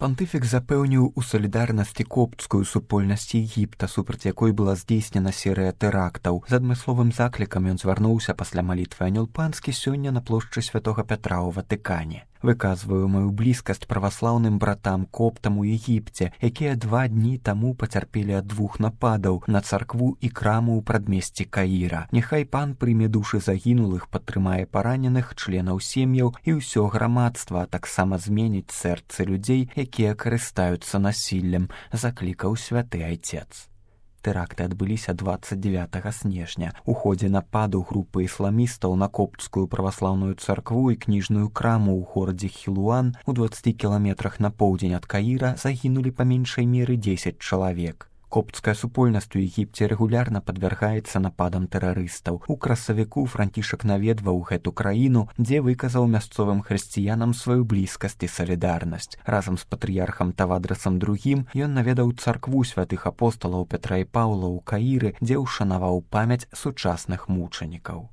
Пантыфік запэўніў у салідарнасці коптскую супольнасць Егіпта, супраць якой была здзейснена серыя тэрактаў. З адмысловым заклікам ён звярнуўся пасля малітвы Анёл Панскі сёння на плошчы Святога Пятра ў Ватыкане. Выказваю маю блізкасць праваслаўным братам коптам у Егіпце, якія 2 дні таму пацярпелі ад 2 нападаў на царкву і краму ў прадмесці Каіра. Няхай пан прыме душы загінулых, падтрымае параненых, членаў сем'яў і ўсё грамадства, а таксама зменіць сэрцы людзей, якія карыстаюцца насіллем, заклікаў святы айцец. Тэракты адбыліся 29 снежня. У ходзе нападу групы ісламістаў на коптскую праваслаўную царкву і кніжную краму ў горадзе Хілуан у 20 кіламетрах на поўдзень ад Каіра загінулі па меншай меры 10 чалавек. Коптская супольнасць у Егіпце рэгулярна падвяргаецца нападам тэрарыстаў. У красавіку Францішак наведваў гэту краіну, дзе выказаў мясцовым хрысціянам сваю блізкасць і салідарнасць. Разам з патрыярхам Тавадрасам II ён наведаў царкву святых апосталаў Пятра і Паўла ў Каіры, дзе ўшанаваў памяць сучасных мучанікаў.